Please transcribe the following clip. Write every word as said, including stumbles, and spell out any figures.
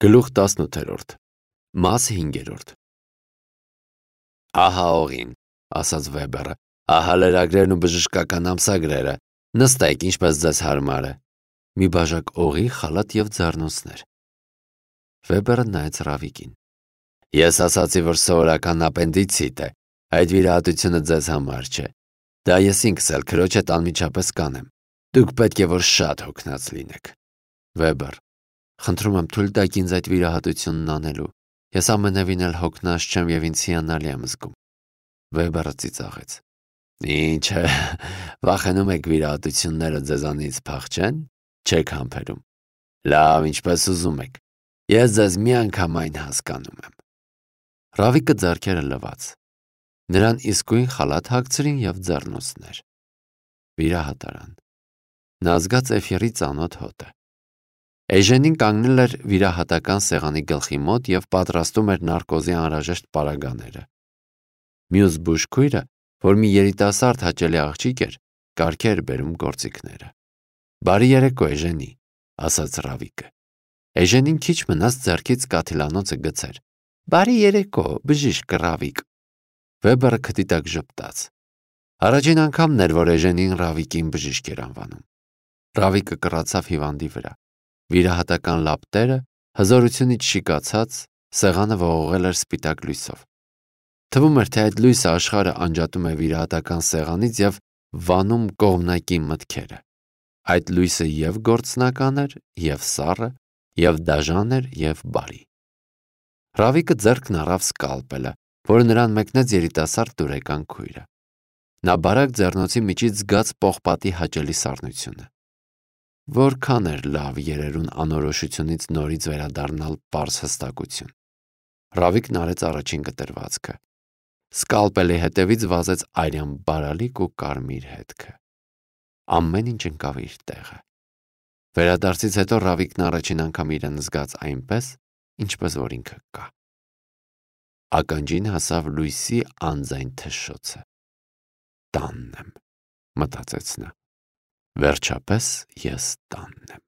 Գլուխ տասնութերորդ Մաս հինգերորդ Ահա օղին, ասաց Վեբերը, ահա լրագրերն ու բժշկական ամսագրերը, նստեք ինչպես ձեզ հարմար է։ Մի բաժակ օղի, խալաթ և ձեռնոցներ։ Վեբերը նայեց Ռավիկին։ Ես ասացի, որ սովորական ապենդիցիտ է, այդ վիրահատությունը ձեզ համար չէ։ Դա ես ինքս էլ քրոջ հետ անմիջապես կանեմ։ Դուք պետք է որ շատ հոգնած լինեք։ Վեբեր, խնդրում եմ թույլ տաք ինձ այդ վիրահատությունն անելու։ Ես ամենևին էլ հոգնած չեմ և ինձ հիանալի եմ զգում։ Վեբերը ծիծաղեց։ Ինչ է, վախենում եք վիրահատությունները ձեզանից փախչեն, չեք համբերում։ Լավ, ինչպես ուզում եք։ Ես ձեզ միանգամայն հասկանում եմ։ Ռավիկը ձեռքերը լվաց։ Նրան իսկույն խալաթ հագցրին և ձեռնոցներ։ Վիրահատարան։ Նա զգաց Էֆիրի ծանոթ հոտը։ Էժենին կանգնել էր վիրահատական սեղանի գլխի մոտ և պատրաստում էր նարկոզի անհրաժեշտ պարագաները։ Մյուս բուժքույրը, որ մի երիտասարդ հաճելի աղջիկ էր, կարգ էր բերում գործիքները։ Բարի երեկո, Էժենի, ասաց Ռավիկը։ Էժենին քիչ մնաց ձեռքից կաթիլանոցը գցեր։ Բարի երեկո, բժիշկ Ռավիկ։ Վեբերը քթի տակ ժպտաց։ Առաջին անգամն էր, որ Էժենին Ռավիկին բժիշկ էր անվանում։ Ռավիկը կռացավ հիվանդի վրա։ Վիրահատական լապտերը հզորությունից շիկացած, սեղանը ողողել էր սպիտակ լույսով։ Թվում էր, թե այդ լույսը աշխարհը անջատում է վիրահատական սեղանից և վանում կողմնակի մտքերը։ Այդ լույսը և գործնական էր, և սառը, և դաժան էր, և բարի։ Ռավիկը ձեռքն առավ սկալպելը, որը նրան մեկնեց երիտասարդ դուրեկան քույրը։ Նա բարակ ձեռնոցի միջից զգաց պողպատի հաճելի սառնությունը։ Որքան էր լավ երերուն անորոշությունից նորից վերադառնալ պարզ հստակություն։ Ռավիկն արեց առաջին կտրվածքը։ Սկալպելի հետևից վազեց արյան բարալիկ ու կարմիր հետքը։ Ամեն ինչ ընկավ իր տեղը։ Վերադարձից հետո Ռավիկն առաջին անգամ իրեն զգաց այնպես, ինչպես որ ինքը կա։ Ականջին հասավ լույսի անձայն թշշոցը։ Տանն եմ, մտածեց նա։ Վերջապես ես տանն եմ։